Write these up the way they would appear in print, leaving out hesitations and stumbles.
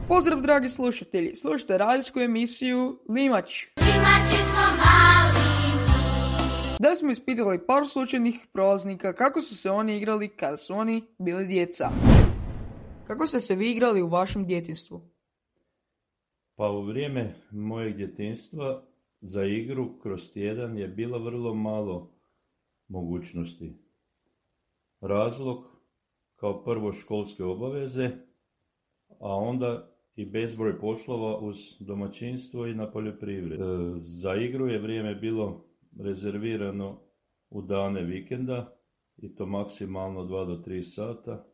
Pozdrav dragi slušatelji, slušajte radijsku emisiju Limač. Limači smo mali mi. Da smo ispitali par slučajnih prolaznika kako su se oni igrali kada su oni bili djeca. Kako ste se vi igrali u vašem djetinjstvu? Pa u vrijeme mojeg djetinjstva za igru kroz tjedan je bilo vrlo malo mogućnosti. Razlog kao prvo školske obaveze, a onda i bezbroj poslova uz domaćinstvo i na poljoprivredi. Za igru je vrijeme bilo rezervirano u dane vikenda i to maksimalno 2 do 3 sata.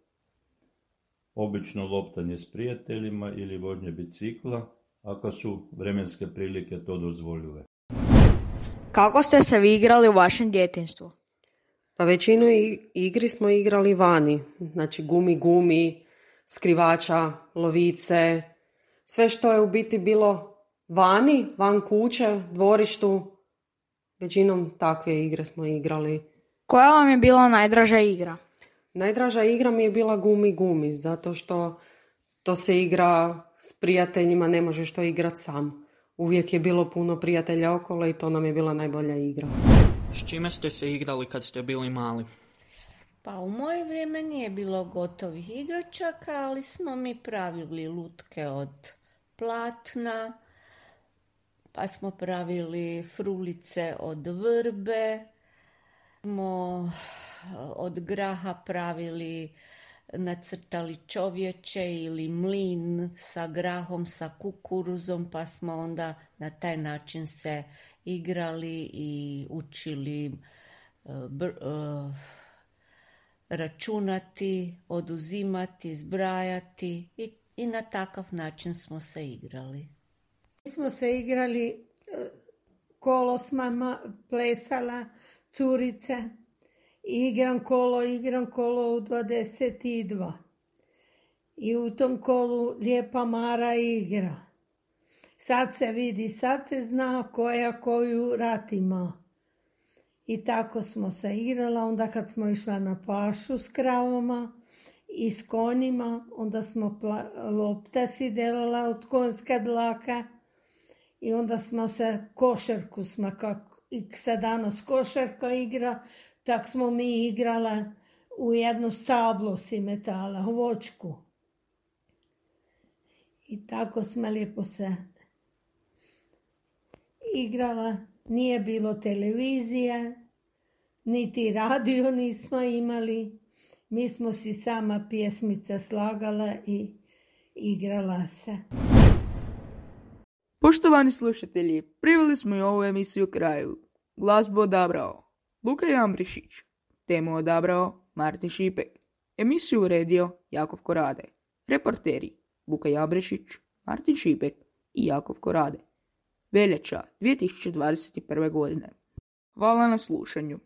Obično loptanje s prijateljima ili vožnje bicikla, ako su vremenske prilike to dozvoljive. Kako ste se vi igrali u vašem djetinjstvu? Pa većinu igri smo igrali vani, znači gumi, skrivača, lovice, sve što je u biti bilo vani, van kuće, dvorištu, većinom takve igre smo igrali. Koja vam je bila najdraža igra? Najdraža igra mi je bila gumi, zato što to se igra s prijateljima, ne možeš to igrati sam. Uvijek je bilo puno prijatelja okolo i to nam je bila najbolja igra. S čime ste se igrali kad ste bili mali? Pa u moje vrijeme nije bilo gotovih igračaka, ali smo mi pravili lutke od platna, pa smo pravili frulice od vrbe, smo od graha pravili, nacrtali čovječe ili mlin sa grahom, sa kukuruzom, pa smo onda na taj način se igrali i učili računati, oduzimati, zbrajati i na takav način smo se igrali. Mi smo se igrali, kolo s mama plesala, curice, igram kolo u 22. I u tom kolu lijepa Mara igra. Sad se vidi, sad se zna koja koju rat ima. I tako smo se igrala, onda kad smo išla na pašu s kravama i s konjima, onda smo lopta si delala od konjska dlaka i onda smo se košarku smo, kako i sad danas košarka igra, tak smo mi igrala u jedno stablo si metala, vočku. I tako smo lijepo se igrala. Nije bilo televizije, niti radio nismo imali. Mi smo si sama pjesmica slagala i igrala se. Poštovani slušatelji, priveli smo i ovu emisiju kraju. Glazbu odabrao Luka Jambrišić, temu odabrao Martin Šipek, emisiju uredio Jakov Korade, reporteri Luka Jambrišić, Martin Šipek i Jakov Korade. Veljača 2021. godine. Hvala na slušanju.